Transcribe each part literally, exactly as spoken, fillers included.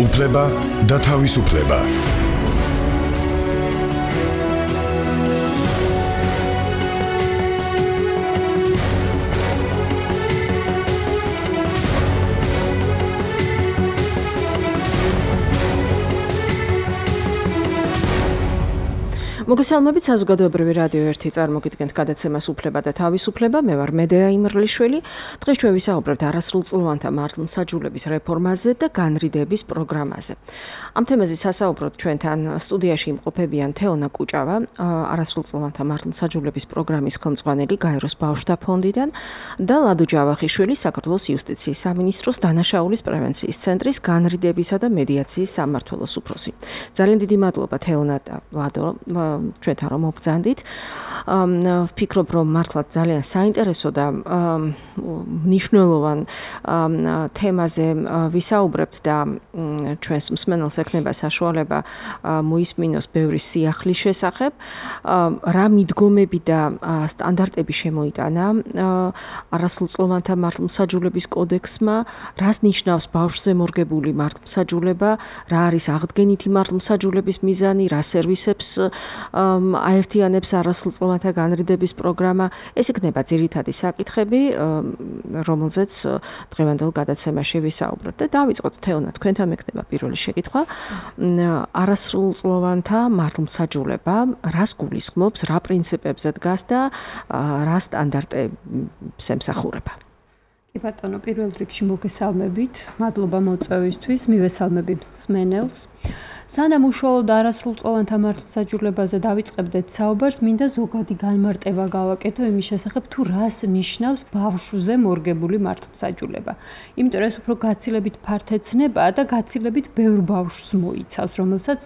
უფლება და თავისუფლება. მოგესალმებით საზოგადოებრივი რადიო ერთი წარმოგიდგენთ გადაცემას უფლება და თავისუფლება. მე ვარ მედეა იმრლიშვილი. დღეს ჩვენ ვისაუბრებთ არასრულწლოვანთა მართლმსაჯულების რეფორმაზე და განრიდების პროგრამაზე. ამ თემაზე სასაუბროდ ჩვენთან სტუდიაში იმყოფებიან თეონა კუჭავა, არასრულწლოვანთა მართლმსაჯულების პროგრამის ხელმძღვანელი გაეროს ბავშვთა ფონდიდან და ლადო ჯავახიშვილი, საქართველოს იუსტიციის სამინისტროს დანაშაულის პრევენციის ცენტრის განრიდებისა და მედიაციის სამმართველოს უფროსი. ძალიან დიდი მადლობა თეონა და ლადო ჩვენთან რომ მობრძანდით. ვფიქრობ, რომ მართლაც ძალიან საინტერესო და მნიშვნელოვან თემაზე ვისაუბრებთ და ჩვენს მსმენელს ექნება საშუალება მოისმინოს ბევრი სიახლის შესახებ. რა მიდგომები და სტანდარტები შემოიტანა არასრულწლოვანთა მართლმსაჯულების კოდექსმა, რას ნიშნავს ბავშვზე მორგებული მართლმსაჯულება, რა არის აღდგენითი მართლმსაჯულების მიზანი, რა სერვისებს აერთიანებს არასრულწლოვანთა განრიდების პროგრამა. ეს იქნება ძირითადი საკითხები, რომელზეც დღევანდელ გადაცემაში ვისაუბრებთ. და დავიწყოთ თეონა, თქვენთან მექნება პირველი შეკითხვა. არასრულწლოვანთა მართლმსაჯულება რას გულისხმობს, რა პრინციპებზე დგას და რა სტანდარტებს ემსახურება? კი ბატონო, პირველ რიგში მოგესალმებით. მადლობა მოწვევისთვის, მივესალმები მსმენელს. სანამ უშუალოდ არასრულწლოვანთა მართლმსაჯულებაზე დავიწყებდეთ საუბარს, მინდა ზოგადი განმარტება გავაკეთო იმის შესახებ, თუ რას ნიშნავს ბავშვზე მორგებული მართლმსაჯულება. იმიტომ რომ ეს უფრო გაცილებით ფართე ცნებაა და გაცილებით ბევრ ბავშვს მოიცავს, რომელსაც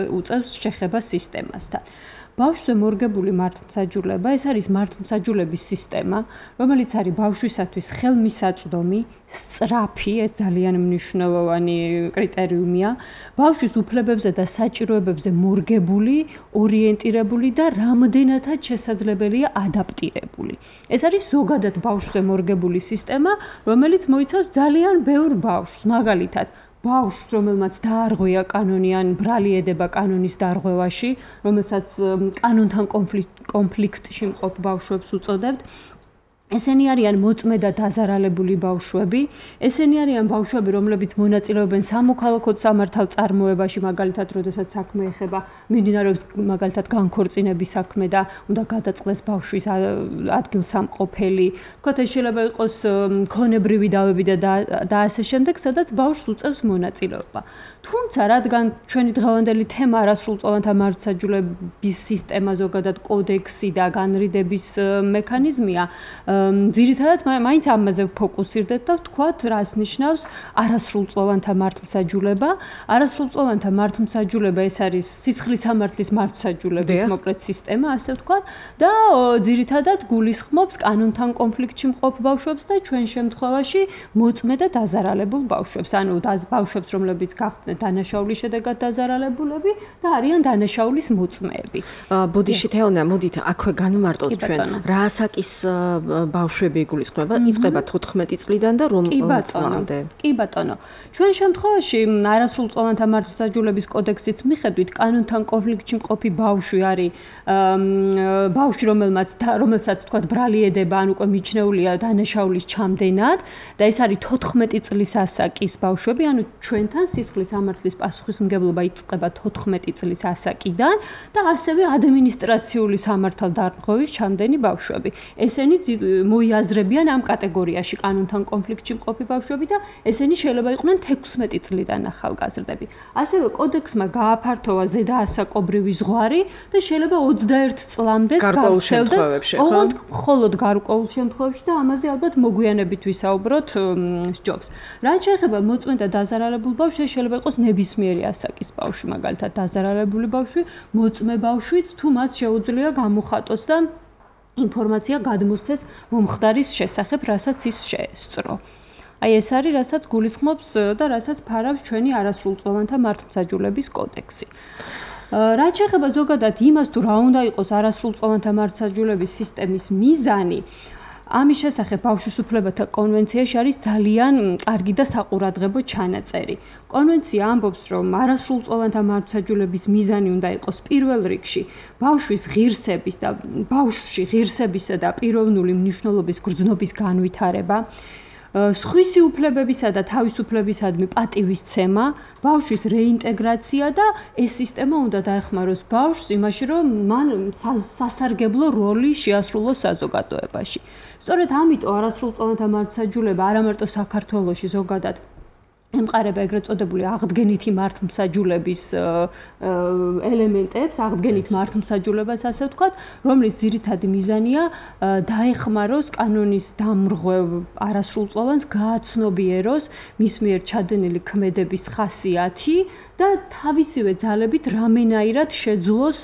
უწევს შეხება სისტემასთან. ბავშვზე მორგებული მართლმსაჯულება, ეს არის მართლმსაჯულების სისტემა, რომელიც არის ბავშვისათვის ხელმისაწვდომი, სწრაფი, ეს ძალიან მნიშვნელოვანი კრიტერიუმია, ბავშვის უფლებებზე და საჭიროებებზე მორგებული, ორიენტირებული და რამდენადაც შესაძლებელია ადაპტირებული. ეს არის ზოგადად ბავშვზე მორგებული სისტემა, რომელიც მოიცავს ძალიან ბევრ ბავშვს, მაგალითად ბავშვს, რომელმაც დაარღვია კანონი ან ბრალი ედება კანონის დარღვევაში, რომელსაც კანონთან კონფლიქტში მყოფ ბავშვებს უწოდებთ. ესენი არიან მოწმე და დაზარალებული ბავშვები, ესენი არიან ბავშვები, რომლებიც მონაწილეობენ სამოქალაქო სამართალ წარმოებაში, მაგალითად, როდესაც საქმე ეხება მიმდინარეობს მაგალითად განქორწინების საქმე და უნდა გადაწყდეს ბავშვის ადგილსამყოფელი. თქვათ, ეს შეიძლება იყოს ქონებრივი დავები და და ასე შემდეგ, სადაც ბავშვს უწევს მონაწილეობა. თუმცა, რადგან ჩვენი დღევანდელი თემა არასრულწლოვანთა მართლმსაჯულების სისტემა, ზოგადად კოდექსი და განრიდების მექანიზმია, ძირითადად მაინც ამაზე ვფოკუსირდეთ და ვთქვათ, რას ნიშნავს არასრულწლოვანთა მართლმსაჯულება. არასრულწლოვანთა მართლმსაჯულება ეს არის სისხლის სამართლის მართლმსაჯულების მოკლედ სისტემა, ასე ვთქვათ, და ძირითადად გულისხმობს კანონთან კონფლიქტში მყოფ ბავშვებს და ჩვენ შემთხვევაში მოწმე და დაზარალებულ ბავშვებს, ანუ ბავშვებს, რომლებიც გახდნენ დანაშაულის შედეგად დაზარალებულები და არიან დანაშაულის მოწმეები. ბოდიში თეონა, მოდით აქვე განვმარტოთ ჩვენ, რა ასაკის ბავშვები იგულისხმება, იწყება თოთხმეტი წლიდან და რომ წლამდე. კი ბატონო. ჩვენ შემთხვევაში არასრულწლოვანთა მართლმსაჯულების კოდექსის მიხედვით კანონთან კონფლიქტში მყოფი ბავშვი არის ბავშვი, რომელმაც რომელსაც თქვათ ბრალი ედება, ან უკვე მიჩნეულია დანაშაულის ჩამდენად და ეს არის თოთხმეტი წლის ასაკის ბავშვები, ანუ ჩვენთან სისხლის სამართლის პასუხისმგებლობა იწყება თოთხმეტი წლის ასაკიდან და ასევე ადმინისტრაციული სამართალდარღვევის ჩამდენი ბავშვები. ესენი მოიაზრებიან ამ კატეგორიაში კანონთან კონფლიქტში მყოფი ბავშვები და ესენი შეიძლება იყვნენ თექვსმეტი წლიდან ახალგაზრდები. ასევე კოდექსმა გააფართოვა ზედაასაკობრივი ზღვარი და შეიძლება ოცდაერთ წლამდე გარკვეულწლებს. ოღონდ მხოლოდ გარკვეულ შემთხვევებში და ამაზე ალბათ მოგვიანებით ვისაუბროთ სჯობს. რაც შეეხება მოწმე და დაზარალებულ ბავშვს, შეიძლება იყოს ნებისმიერი ასაკის ბავშვი, მაგალითად დაზარალებული ბავშვი, მოწმე ბავშვიც, თუ მას შეუძლია გამოხატოს და ინფორმაცია გადმოსცეს მომხდარის შესახებ, რასაც ის შეესწრო. აი ეს არის, რასაც გულისხმობს და რასაც ფარავს ჩვენი არასრულწლოვანთა მართლმსაჯულების კოდექსი. რაც შეეხება ზოგადად იმას, თუ რა უნდა იყოს არასრულწლოვანთა მართლმსაჯულების სისტემის მიზანი, ამის შესახებ ბავშვის უფლებათა კონვენციაში არის ძალიან კარგი და საყურადღებო ჩანაწერი. კონვენცია ამბობს, რომ არასრულწლოვანთა მართლმსაჯულების მიზანი უნდა იყოს პირველ რიგში ბავშვის ღირსების და ბავშვში ღირსებისა და პიროვნული მნიშვნელობის გრძნობის განვითარება, სხვისი უფლებებისა და თავისუფლებისადმი პატივისცემა, ბავშვის რეინტეგრაცია და ეს სისტემა უნდა დაეხმაროს ბავშვს იმაში, რომ მან სასარგებლო როლი შეასრულოს საზოგადოებაში. სწორედ ამიტომ არასრულწლოვანთა მართლმსაჯულება არა მარტო საქართველოში ზოგადად ემყარება ეგრეთ წოდებული აღდგენითი მართლმსაჯულების ელემენტებს, აღდგენით მართლმსაჯულებას ასე ვთქვათ, რომლის ძირითადი მიზანია დაეხმაროს კანონის დამრღვევ არასრულწლოვანს, გააცნობიეროს მის მიერ ჩადენილი ქმედების ხასიათი და თავისივე ძალებით რამენაირად შეძლოს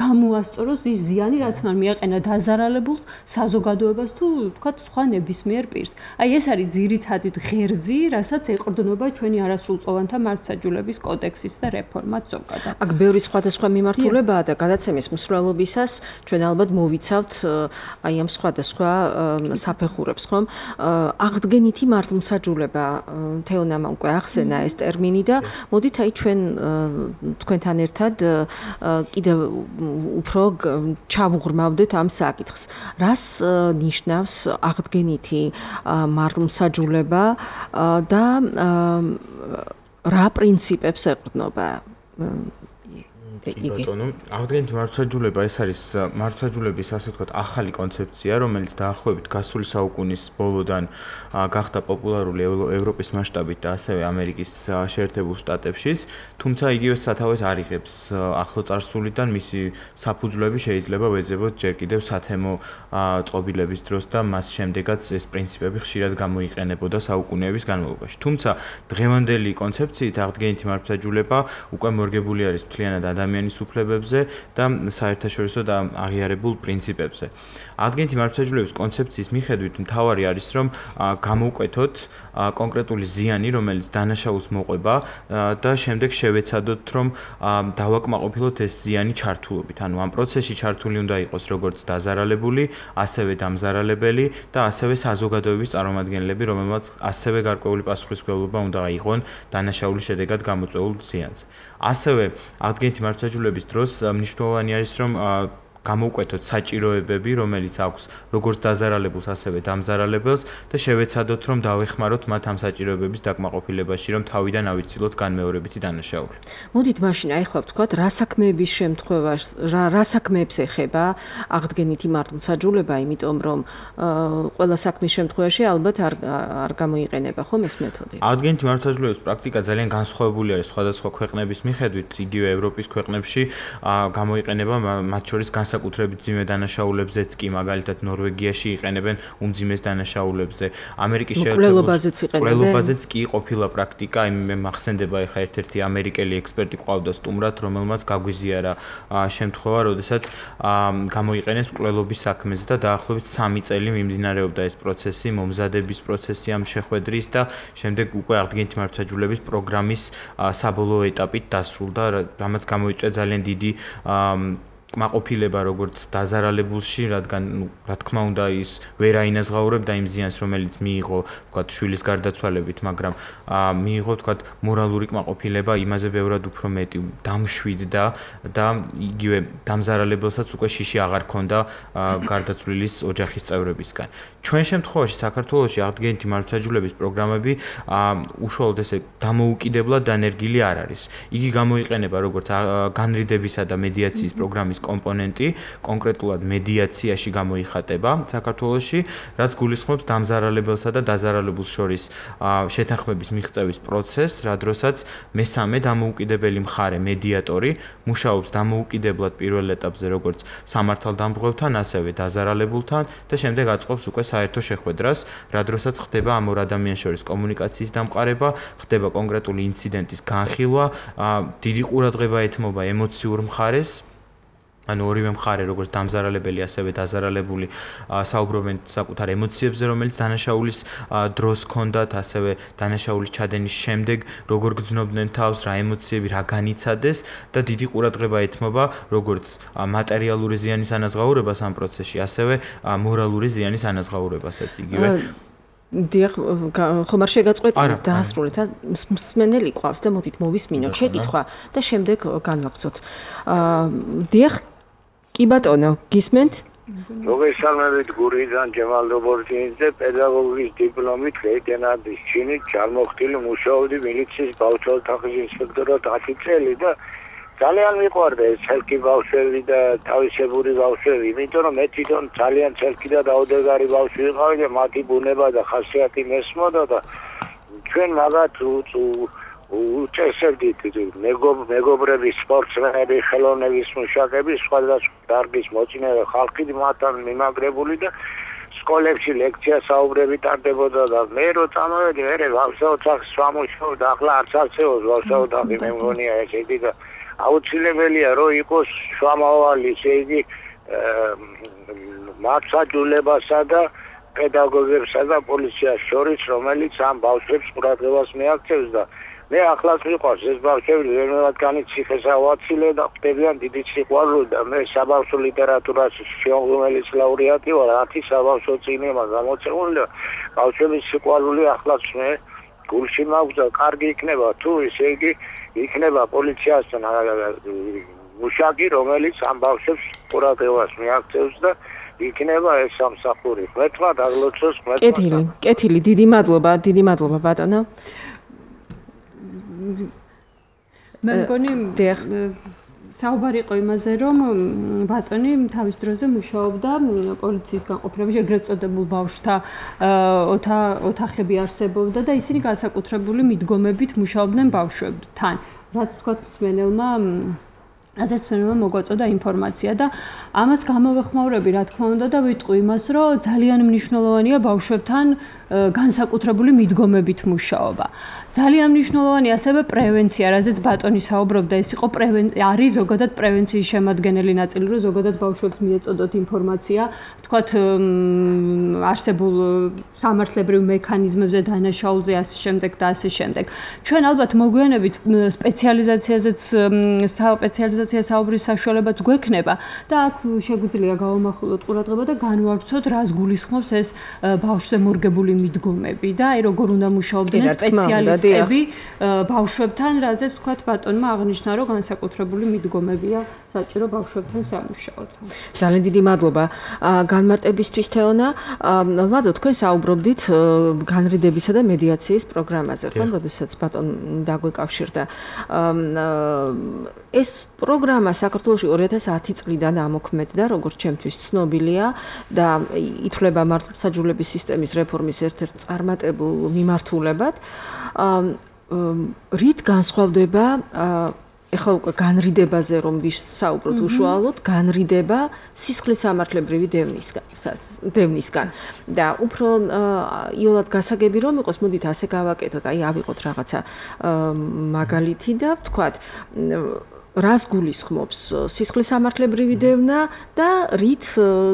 გამოასწოროს ის ზიანი, რაც მან მიაყენა დაზარალებულს, საზოგადოებას თუ ვთქვათ სხვა ნებისმიერ პირს. აი ეს არის ძირითადი ღერძი, რასაც ეყრდნობა ჩვენი არასრულწლოვანთა მართლმსაჯულების კოდექსის და რეფორმაც ზოგადად. აქ ბევრი სხვადასხვა მიმართულებაა და გადაცემის მსვლელობისას ჩვენ ალბათ მოვიცავთ აი ამ სხვადასხვა საფეხურებს, ხომ? აღდგენითი მართლმსაჯულება თეონამ უკვე ახსენა ეს ტერმინი და მოდით აი ჩვენ თქვენთან ერთად კიდევ უფრო ჩავუღრმავდეთ ამ საკითხს. რას ნიშნავს აღდგენითი მართლმსაჯულება და რა პრინციპებს ეყრდნობა? კი ბატონო, აღდგენითი მართლმსაჯულება ეს არის მართლმსაჯულების ასე ვთქვათ ახალი კონცეფცია, რომელიც დაახლოებით გასული საუკუნის ბოლოდან გახდა პოპულარული ევროპის მასშტაბით და ასევე ამერიკის შეერთებულ შტატებშიც, თუმცა იგივე სათავეს არ იღებს ახლო წარსულიდან, მისი საფუძვლები შეიძლება ვეძებოთ ჯერ კიდევ სათემო წყობილების დროს და მას შემდეგაც ეს პრინციპები ხშირად გამოიყენებოდა საუკუნეების განმავლობაში. თუმცა დღევანდელი კონცეფციით აღდგენითი მართლმსაჯულება უკვე მორგებული არის მთლიანად ადამიანის უფლებებზე და საერთაშორისო და აღიარებულ პრინციპებზე. აღდგენითი მართლმსაჯულების კონცეფციის მიხედვით მთავარი არის, რომ გამოვკვეთოთ კონკრეტული ზიანი, რომელიც დანაშაულს მოყვება და შემდეგ შევეცადოთ, რომ დავაკმაყოფილოთ ეს ზიანი ჩართულობით. ანუ ამ პროცესში ჩართული უნდა იყოს როგორც დაზარალებული, ასევე დამზარალებელი და ასევე საზოგადოების წარმომადგენლები, რომელმაც ასევე გარკვეული პასუხისმგებლობა უნდა აიღონ დანაშაულის შედეგად გამოწვეულ ზიანზე. ასევე აღდგენითი მართლმსაჯულების დროს მნიშვნელოვანი არის, რომ გამოვკვეთოთ საჭიროებები, რომელიც აქვს როგორც დაზარალებულს, ასევე დამზარალებელს და შევეცადოთ, რომ დავეხმაროთ მათ ამ საჭიროებების დაკმაყოფილებაში, რომ თავიდან ავიცილოთ განმეორებითი დანაშაული. მოდით მაშინ აი ხლა ვთქვათ, რა საქმეების შემთხვევაში, რა რა საქმეებს ეხება აღდგენითი მართლმსაჯულება, იმიტომ რომ ყველა საქმის შემთხვევაში ალბათ არ არ გამოიყენება ხომ ეს მეთოდი. აღდგენითი მართლმსაჯულების პრაქტიკა ძალიან განსხვავებული არის სხვადასხვა ქვეყნების მიხედვით, იგივე ევროპის ქვეყნებში გამოიყენება მათ შორის საკუთრებით ძიმე დანაშაულებზეც კი მაგალითად ნორვეგიაში იყენებენ უმძიმეს დანაშაულებზე. ამერიკის შეერთებულ კი ყოფილა პრაქტიკა, მე მახსენდება ეხა ერთ-ერთი ამერიკელი ექსპერტი ყავდა სტუმრად, რომელმაც გაგვიზიარა შემთხვევა, როდესაც გამოიყენეს მკვლელობის საქმეზე და დაახლოებით სამი წელი მიმდინარეობდა ეს პროცესი, მომზადების პროცესი ამ შეხვედრის და შემდეგ უკვე აღდგენითი მართლმსაჯულების პროგრამის საბოლოო ეტაპით დასრულდა, რამაც გამოიწვია ძალიან დიდი კმაყოფილება როგორც დაზარალებულში, რადგან რა თქმა უნდა ის ვერ აინაზღაურებდა იმ ზიანს, რომელიც მიიღო, ვთქვათ, შვილის გარდაცვალებით, მაგრამ მიიღო, ვთქვათ, მორალური კმაყოფილება იმაზე ბევრად უფრო მეტი, დამშვიდდა და იგივე დამზარალებელსაც უკვე შიში აღარ ქონდა გარდაცვლილის ოჯახის წევრებისგან. ჩვენ შემთხვევაში საქართველოში აღდგენითი მართლმსაჯულების პროგრამები უშუალოდ ესე დამოუკიდებლად დანერგილი არ არის. იგი გამოიყენება როგორც განრიდებისა და მედიაციის პროგრამის კომპონენტი, კონკრეტულად მედიაციაში გამოიხატება საქართველოში, რაც გულისხმობს დამზარალებელსა და დაზარალებულს შორის შეთანხმების მიღწევის პროცესს, რა დროსაც მესამე დამოუკიდებელი მხარე მედიატორი მუშაობს დამოუკიდებლად პირველ ეტაპზე როგორც სამართალდამღვრევთან, ასევე დაზარალებულთან და შემდეგ აწყობს უკვე საერთო შეხვედრას, რა დროსაც ხდება ამ ორ ადამიანს შორის კომუნიკაციის დამყარება, ხდება კონკრეტული ინციდენტის განხილვა, დიდი ყურადღება ეთმობა ემოციურ მხარეს ანუ ორივე მხარე როგორც დამზარალებელი, ასევე დაზარალებული საუბრობენ საკუთარ ემოციებზე, რომელიც დანაშაულის დროს ჰქონდათ, ასევე დანაშაულის ჩადენის შემდეგ როგორ გრძნობდნენ თავს, რა ემოციები, რა განიცადეს და დიდი ყურადღება ეთმობა როგორც მატერიალური ზიანის ანაზღაურებას ამ პროცესში, ასევე მორალური ზიანის ანაზღაურებასაც იგივე. დიახ, ხომ არ შეგაწყვეტინეთ დაასრულეთ, მსმენელი ყავს და მოდით მოვისმინოთ შეკითხვა და შემდეგ განვაგრძოთ. დიახ, კი ბატონო, გისმენთ? მოგესალმებით გურიდან ჯემალ დობორჯინიძე, პედაგოგის დიპლომით, ლეიტენანტის ჩინით, ჯარმოხტილი მუშაობდი მილიციის ბავშვთა ოთახის ინსპექტორად ათი წელი და ძალიან მიყვარდა ეს ცელკი ბავშვები და თავისებური ბავშვები, იმიტომ რომ მე თვითონ ძალიან ცელკი და დაუდეგარი ბავშვი ვიყავი და მათი ბუნება და ხასიათი მესმოდა და ჩვენ მაგათ უწესებდით მეგობრები, სპორტსმენები, ხელოვნების მუშაკები, სხვადასხვა დარგის მოწინავე ხალხი მათთან მიმაგრებული და სკოლებში ლექცია საუბრები ტარდებოდა და მე რო წამოვედი, მე ბავშვთა ოთახს ვამუშავდა, ახლა არც არსებობს ბავშვთა ოთახი, მე მგონია ესეთი და აუცილებელია რომ იყოს შუამავალი, ესე იგი მართლმსაჯულებასა და პედაგოგებსა და პოლიციას შორის, რომელიც ამ ბავშვებს ყურადღებას მიაქცევს და მე ახლაც მიყვარს ეს ბავშვები ვერმევადგანით ციხესავაცილე და ხვდებიან დიდი სიყვარული და მე საბავშვო ლიტერატურაში შემოღმელის ლაურეატი ვარ, ათი საბავშვო წიგნი გამოცემული და ბავშვების სიყვარული ახლაც მე გულში მაქვს და კარგი იქნება თუ ესე იგი იქნება პოლიციასთან მუშაკი, რომელიც ამ ბავშვებს ყურადღებას მიაქცევს და იქნება ეს სამსახური. მეთქმა დაგლოცოს, მეთქმა. კეთილი, კეთილი, დიდი მადლობა, დიდი მადლობა ბატონო. მე მგონი საუბარი იყო იმაზე, რომ ბატონი თავის დროზე მუშაობდა პოლიციის განყოფილებაში, ეგრეთ წოდებულ ბავშვთა ოთახები არსებობდა და ისინი განსაკუთრებული მიდგომებით მუშაობდნენ ბავშვებთან. რაც თქვა მსმენელმა ასეც მსმენელმა მოგვაწოდა ინფორმაცია და ამას გამოვეხმაურები, რა თქმა უნდა და ვიტყვი იმას, რომ ძალიან მნიშვნელოვანია ბავშვებთან განსაკუთრებული მიდგომებით მუშაობა. ძალიან მნიშვნელოვანია ასევე პრევენცია, რაზეც ბატონი საუბრობდა, ეს იყო არის ზოგადად პრევენციის შემადგენელი ნაწილი, რომ ზოგადად ბავშვებს მიეწოდოთ ინფორმაცია, თქვათ არსებულ სამართლებრივ მექანიზმებზე, დანაშაულზე, ასე შემდეგ და ასე შემდეგ. ჩვენ ალბათ მოგვიანებით სპეციალიზაციაზეც სპეციალიზაცია საუბრის საშუალებაც გვექნება და აქ შეგვიძლია გავამახვილოთ ყურადღება და განვავრცოთ, რას გულისხმობს ეს ბავშვზე მორგებული მიდგომები და აი როგორ უნდა მუშაობდნენ სპეციალისტები ბავშვებთან, რაზეც თქვათ ბატონმა აღნიშნა, რომ განსაკუთრებული მიდგომებია საჭირო ბავშვებთან სამუშაოდ. ძალიან დიდი მადლობა განმარტებისთვის თეონა. ლადო, თქვენ საუბრობდით განრიდებისა და მედიაციის პროგრამაზე, ხო? როდესაც ბატონ დაგვეკავშირდა. ეს პროგრამა საქართველოში ორი ათას ათი წლიდან ამოქმედდა, როგორც ჩემთვის ცნობილია და ითვლება მართლმსაჯულების სისტემის რეფორმის ერთ-ერთ წარმატებულ მიმართულებად. რით განსხვავდება ეხლა უკვე განრიდებაზე რომ ვისაუბროთ უშუალოდ, განრიდება სისხლის სამართლებრივი დევნისგან, დევნისგან და უფრო იოლად გასაგები რომ იყოს, მოდით ასე გავაკეთოთ, აი ავიღოთ რაღაცა მაგალითი და ვთქვათ რას გულისხმობს სისხლის სამართლებრივი დევნა და რით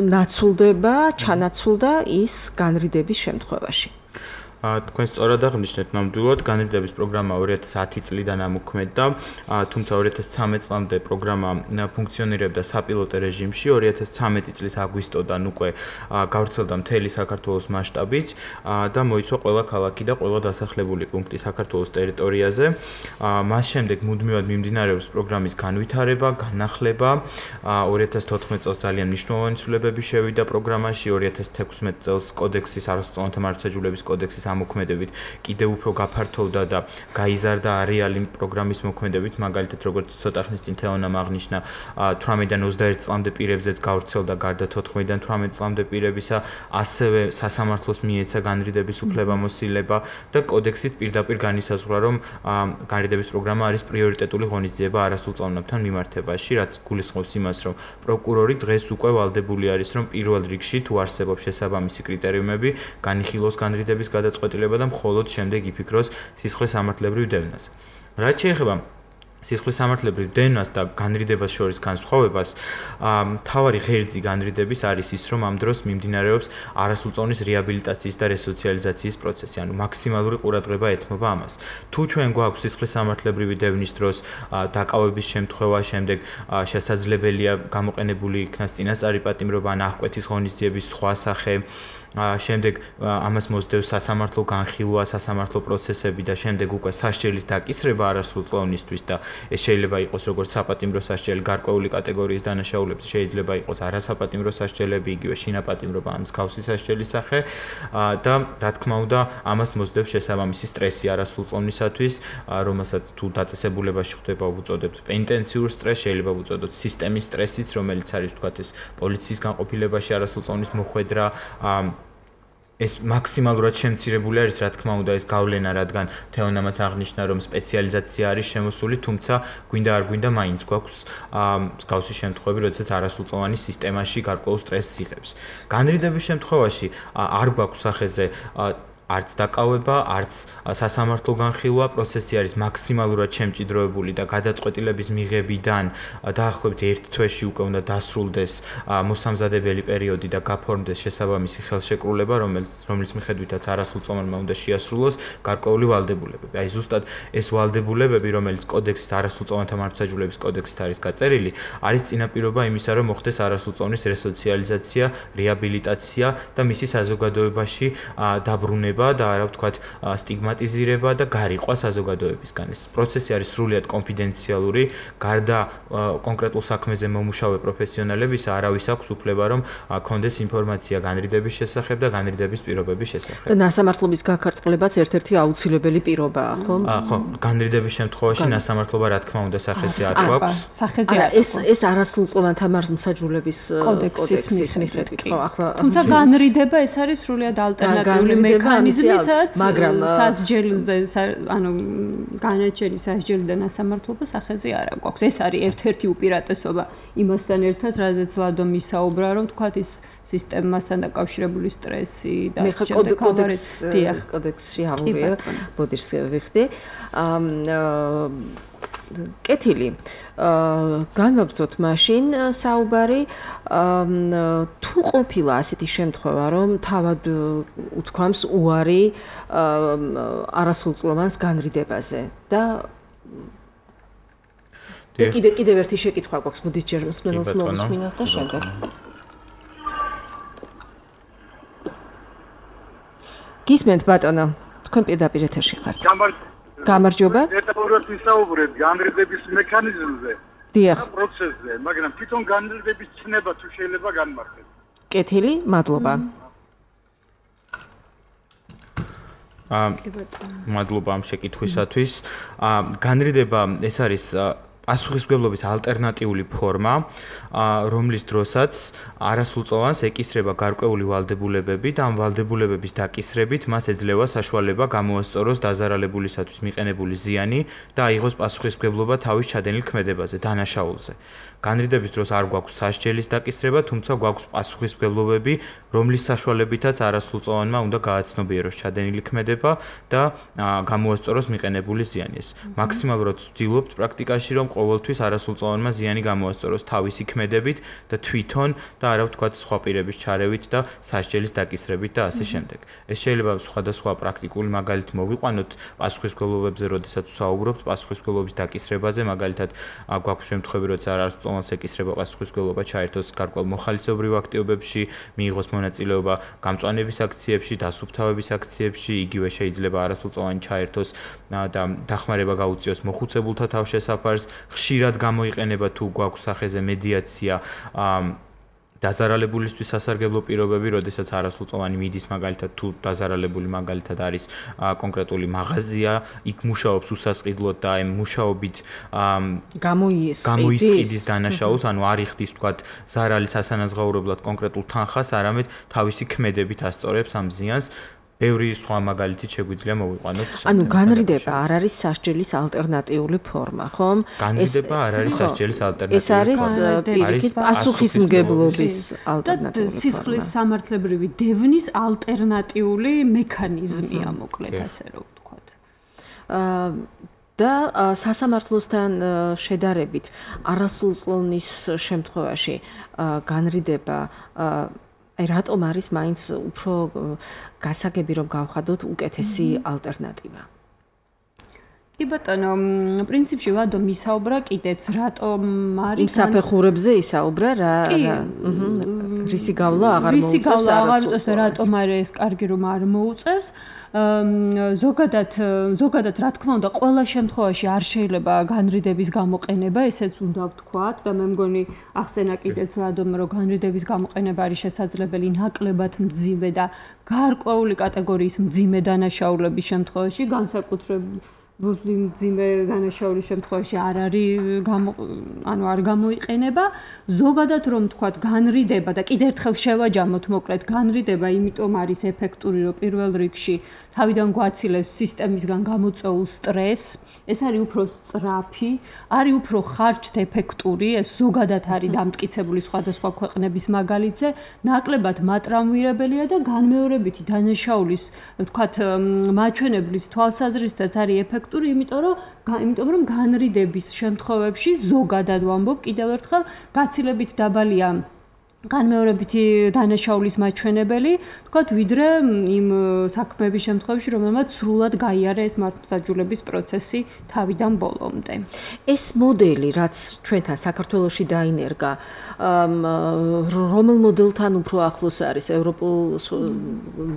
ნაცვლდება, ჩანაცვლდა ის განრიდების შემთხვევაში. თქვენ სწორად აღნიშნეთ, ნამდვილად განრიდების პროგრამა ორი ათას ათი წლიდან ამოქმედდა, თუმცა ორი ათას ცხრამეტ წლამდე პროგრამა ფუნქციონირებდა საპილოტო რეჟიმში, ორი ათას ცხრამეტი წლის აგვისტოდან უკვე გავრცელდა მთელი საქართველოს მასშტაბით და მოიცვა ყველა ქალაქი და ყველა დასახლებული პუნქტი საქართველოს ტერიტორიაზე. მას შემდეგ მუდმივად მიმდინარეობს პროგრამის განვითარება, განახლება. ორი ათას თოთხმეტ წელს ძალიან მნიშვნელოვანი ცვლილებები შევიდა პროგრამაში, ორი ათას თექვსმეტ წელს კოდექსის არასრულწლოვანთა მართლმსაჯულების კოდექსის ამოქმედებით კიდევ უფრო გაფართოვდა და გაიზარდა არეალი პროგრამის მოქმედებით, მაგალითად როგორც ცოტა ხნის წინ თეონამ აღნიშნა, თვრამეტიდან ოცდაერთ წლამდე პირებზეც გავრცელდა გარდა თოთხმეტიდან თვრამეტ წლამდე პირებისა, ასევე სასამართლოს მიეცა განრიდების უფლებამოსილება და კოდექსით პირდაპირ განისაზღვრა, რომ განრიდების პროგრამა არის პრიორიტეტული ღონისძიება არასრულწლოვანებთან მიმართებაში, რაც გულისხმობს იმას, რომ პროკურორი დღეს უკვე ვალდებული არის, რომ პირველ რიგში თუ არსებობს შესაბამისი კრიტერიუმები, განიხილოს განრიდების გადაწყვეტილება და მხოლოდ შემდეგ იფიქროს სისხლის სამართლებრივ დევნაზე. რაც შეეხება სისხლის სამართლებრივ დენას და განრიდებას შორის განსხვავებას, მთავარი ღერძი განრიდების არის ის, რომ ამ დროს მიმდინარეობს არასრულწლოვნის რეაბილიტაციის და რესოციალიზაციის პროცესი, ანუ მაქსიმალური ყურადღება ეთმობა ამას. თუ ჩვენ გვაქვს სისხლის სამართლებრივი დევნის დროს დაკავების შემთხვევა, შემდეგ შესაძლებელია გამოყენებული იქნას წინასწარი პატიმრობა ან აღკვეთის ღონისძიების სხვა სახე, შემდეგ ამას მოსდევს სასამართლო განხილვა, სასამართლო პროცესები და შემდეგ უკვე სასჯელის დაკისრება არასრულწლოვნისთვის და ეს შეიძლება იყოს როგორც საპატიმრო სასჯელი გარკვეული კატეგორიის დანაშაულებს, შეიძლება იყოს არასაპატიმრო სასჯელები, იგივე შინაპატიმრობა ამ მსგავსი სასჯელის სახე და რა თქმა უნდა ამას მოსდევს შესაბამისი სტრესი არასრულწლოვნისათვის, რომელსაც თუ დაწესებულებაში ხდება ვუწოდებთ პენიტენციურ სტრესს, შეიძლება ვუწოდოთ სისტემის სტრესიც, რომელიც არის თქვათ ეს პოლიციის განყოფილებაში არასრულწლოვნის მოხვედრა, ეს მაქსიმალურად შემცირებული არის, რა თქმა უნდა, ეს გავლენა, რადგან თეონამაც აღნიშნა, რომ სპეციალიზაცია არის შემოსული, თუმცა გვინდა არ გვინდა, მაინც გვაქვს მსგავსი შემთხვევები, როდესაც არასრულწლოვანი სისტემაში გარკვეულ სტრესს იღებს. განრიდების შემთხვევაში არ გვაქვს სახეზე არც დაკავება, არც სასამართლო განხილვა, პროცესი არის მაქსიმალურად შემჭიდროებული და გადაწყვეტილების მიღებიდან დაახლოებით ერთ თვეში უკვე უნდა დასრულდეს მოსამზადებელი პერიოდი და გაფორმდეს შესაბამისი ხელშეკრულება, რომელიც რომლის მიხედვითაც არასრულწლოვანმა უნდა შეასრულოს გარკვეული ვალდებულებები. აი ზუსტად ეს ვალდებულებები, რომელიც კოდექსის არასრულწლოვანთა მართლმსაჯულების კოდექსით არის გაწერილი, არის წინაპირობა იმისა, რომ მოხდეს არასრულწლოვნის რესოციალიზაცია, რეაბილიტაცია და მისი საზოგადოებაში დაბრუნება და არა ვთქვათ სტიგმატიზირება და გარიყვა საზოგადოებისგან. ეს პროცესი არის სრულიად კონფიდენციალური, გარდა კონკრეტულ საქმეზე მომუშავე პროფესიონალებისა არავის აქვს უფლება რომ კონდეს ინფორმაცია განრიდების შესახებ და განრიდების პირობების შესახებ. და ნასამართლობის გაქარწყლებაც ერთ-ერთი აუცილებელი პირობაა, ხო? ხო, განრიდების შემთხვევაში ნასამართლობა რა თქმა უნდა სახეზე არ გვაქვს. სახეზე არ ეს ეს არასრულწლოვანთა მართლმსაჯულების კოდექსის მიხედვით, ხო, ახლა თუმცა განრიდება ეს არის სრულიად ალტერნატიული მექანიზმი. მაგრამ სასჯელზე ანუ განაჩენის სასჯელი და ნასამართლობა სახეზე არ აქვს. ეს არის ერთ-ერთი უპირატესობა იმასთან ერთად, რაზეც ლადო მისაუბრა, რომ თქვათ ის სისტემასთან დაკავშირებული სტრესი და შემდეგ კოდექსი კოდექსში აღურია ბოდიშს ვიხდი. კეთილი. განვაგრძოთ მაშინ საუბარი თუ ყოფილა ასეთი შემთხვევა, რომ თავად უთქვამს უარი არასრულწლოვანს განრიდებაზე და კიდე კიდევ ერთი შეკითხვა გვაქვს ბუდისჯერ მსმენელს მოვისმინოთ და შემდეგ. გისმენთ ბატონო, თქვენ პირდაპირ ეთერში ხართ. გამარჯობა. დეტალურად ვისაუბრეთ განრიდების მექანიზმზე. დიახ. პროცესზე, მაგრამ თვითონ განრიდების ცნება თუ შეიძლება განმარტოთ. კეთილი, მადლობა. აა მადლობა ამ შეკითხვისათვის. აა განრიდება ეს არის პასუხისმგებლობის ალტერნატიული ფორმა, რომლის დროსაც არასრულწლოვანს ეკისრება გარკვეული ვალდებულებები და ამ ვალდებულებების დაკისრებით მას ეძლევა საშუალება გამოასწოროს დაზარალებულისათვის მიყენებული ზიანი და აიღოს პასუხისმგებლობა თავის ჩადენილ ქმედებაზე, დანაშაულზე. განრიდების დროს არ გვაქვს სასჯელის დაკისრება, თუმცა გვაქვს პასუხისმგებლობები, რომლის საშუალებითაც არასრულწლოვანმა უნდა გააცნობიეროს ჩადენილი ქმედება და გამოასწოროს მიყენებული ზიანი. ეს მაქსიმალურად ვცდილობთ პრაქტიკაში, რომ ყოველთვის არასრულწლოვანმა ზიანი გამოასწოროს თავისი ქმედებით და თვითონ და არა ვთქვათ სხვა პირების ჩარევით და სასჯელის დაკისრებით და ასე შემდეგ. ეს შეიძლება სხვადასხვა პრაქტიკული მაგალითი მოვიყვანოთ პასუხისმგებლობებზე, როდესაც ვსაუბრობთ პასუხისმგებლობის დაკისრებაზე, მაგალითად გვაქვს შემთხვევები, როცა არასრულწლოვანს ეკისრება პასუხისმგებლობა ჩაერთოს გარკვეულ მოხალისეობრივ აქტივობებში, მიიღოს მონაწილეობა გამწვანების აქციებში, დასუფთავების აქციებში, იგივე შეიძლება არასრულწლოვანი ჩაერთოს და დახმარება გაუწიოს მოხუცებულთა თავშესაფარს. ხშირად გამოიყენება თუ გვაქვს სახეზე მედიაცია დაზარალებულისთვის სასარგებლო პირობები, როდესაც არასრულწლოვანი მიდის მაგალითად თუ დაზარალებული მაგალითად არის კონკრეტული მაღაზია, იქ მუშაობს უსასყიდლოდ და ამ მუშაობით გამოისყიდის დანაშაულს, ანუ არ იხდის თქვათ ზარალის ასანაზღაურებლად კონკრეტულ თანხას, არამედ თავისი ქმედებით ასწორებს ამ ზიანს. ბევრი სხვა მაგალითით შეგვიძლია მოვიყვანოთ. ანუ განრიდება არ არის სასჯელის ალტერნატიული ფორმა, ხომ? განრიდება არ არის სასჯელის ალტერნატიული ფორმა. ეს არის პირიქით პასუხისმგებლობის ალტერნატიული ფორმა. სისხლის სამართლებრივი დევნის ალტერნატიული მექანიზმია, მოკლედ ასე რომ ვთქვათ. აა და სასამართლოსთან შედარებით არასრულწლოვნის შემთხვევაში განრიდება აი რატომ არის მაინც უფრო გასაგები რომ გავხადოთ უკეთესი ალტერნატივა? კი ბატონო, პრინციპში ლადო მისაუბრა კიდეც რატომ არის იმ საფეხურებზე ისაუბრა რა რისი გავლა აღარ მოუწევს არასრულწლოვანს რატომ არის ეს კარგი რომ არ მოუწევს ზოგადად ზოგადად რა თქმა უნდა ყველა შემთხვევაში არ შეიძლება განრიდების გამოყენება ესეც უნდა ვთქვათ და მე მგონი ახსენა კიდეც ლადომ რომ განრიდების გამოყენება არის შესაძლებელი ნაკლებად მძიმე და გარკვეული კატეგორიის მძიმე დანაშაულების შემთხვევაში განსაკუთრებით მძიმე დანაშაულის შემთხვევაში არ არის ანუ არ გამოიყენება ზოგადად რომ თქვათ განრიდება და კიდევ ერთხელ შევაჯამოთ მოკლედ განრიდება იმიტომ არის ეფექტური რომ პირველ რიგში თავიდან გვაცილებს სისტემისგან გამოწვეულ სტრესს ეს არის უფრო სწრაფი არის უფრო ხარჯთეფექტური ეს ზოგადად არის დამტკიცებული სხვადასხვა ქვეყნების მაგალითზე ნაკლებად მატრამვირებელია და განმეორებითი დანაშაულის თქვათ მაჩვენებლის თვალსაზრისითაც არის ეფექტური იმიტომ რომ იმიტომ რომ განრიდების შემთხვევებში ზოგადად ვამბობ კიდევ ერთხელ გაცილებით დაბალია განმეორებითი დანაშაულის მაჩვენებელი, თქვათ, ვიდრე იმ საქმეების შემთხვევაში, რომელმაც სრულად გაიარა ეს მართლმსაჯულების პროცესი თავიდან ბოლომდე. ეს მოდელი, რაც ჩვენთან საქართველოში დაინერგა, რომელ მოდელთან უფრო ახლოს არის, ევროპულ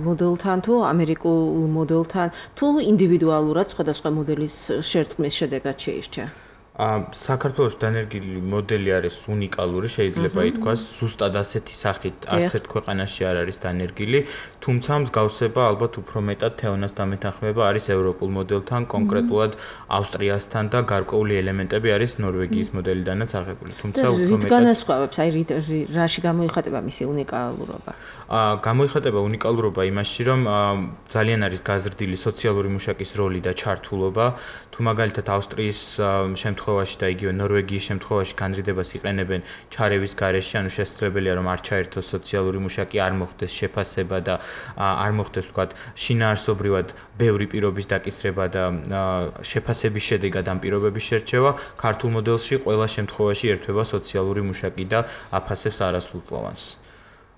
მოდელთან თუ ამერიკულ მოდელთან, თუ ინდივიდუალურად სხვადასხვა მოდელის შერწყმის შედეგად შეირჩა? საქართველოს დანერგილი მოდელი არის უნიკალური, შეიძლება ითქვას, ზუსტად ასეთი სახით არც ერთ ქვეყანაში არ არის დანერგილი, თუმცა მსგავსება ალბათ უფრო მეტად თეონას დამეთანხმება არის ევროპულ მოდელთან, კონკრეტულად ავსტრიასთან და გარკვეული ელემენტები არის ნორვეგიის მოდელიდანაც აღებული. თუმცა უფრო მეტად განასხვავებს, აი რაში გამოიხატება მისი უნიკალურობა? გამოიხატება უნიკალურობა იმაში, რომ ძალიან არის გაზრდილი სოციალური მუშაკის როლი და ჩართულობა, თუ მაგალითად ავსტრიის შემთხვევაში და იგივე ნორვეგიის შემთხვევაში განრიდებას იყენებენ ჩარევის გარეშე, ანუ შესაძლებელია რომ არ ჩაერთოს სოციალური მუშაკი, არ მოხდეს შეფასება და არ მოხდეს ვთქვათ შინაარსობრივად ბევრი პირობის დაკისრება და შეფასების შედეგად ამ პირობების შერჩევა, ქართულ მოდელში ყველა შემთხვევაში ერთვება სოციალური მუშაკი და აფასებს არასრულწლოვანს.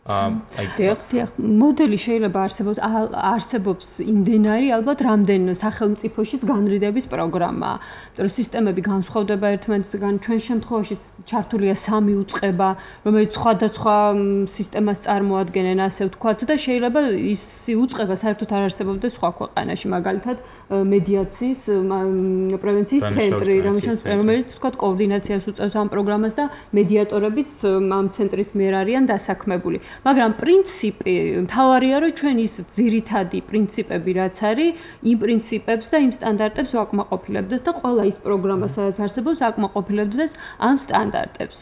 აი დიახ, მოდელი შეიძლება არსებობს არსებობს იმდენარი ალბათ რამდენ სახელმწიფოშიც განრიდების პროგრამა. იმიტომ რომ სისტემები განსხვავდება ერთმანეთისგან, ჩვენ შემთხვევაში ჩართულია სამი უწყება, რომელიც სხვადასხვა სისტემას წარმოადგენენ, ასე ვთქვათ და შეიძლება ის უწყება საერთოდ არ არსებობდეს სხვა ქვეყანაში, მაგალითად მედიაციის პრევენციის ცენტრი, რომელიც ვთქვათ კოორდინაციას უწევს ამ პროგრამას და მედიატორებიც ამ ცენტრის მიერ არიან დასაქმებული. მაგრამ პრინციპი მთავარია რომ ჩვენ ის ძირითადი პრინციპები რაც არის იმ პრინციპებს და იმ სტანდარტებს ვაკმაყოფილებდეთ და ყველა ის პროგრამა სადაც არსებობს აკმაყოფილებდეს ამ სტანდარტებს.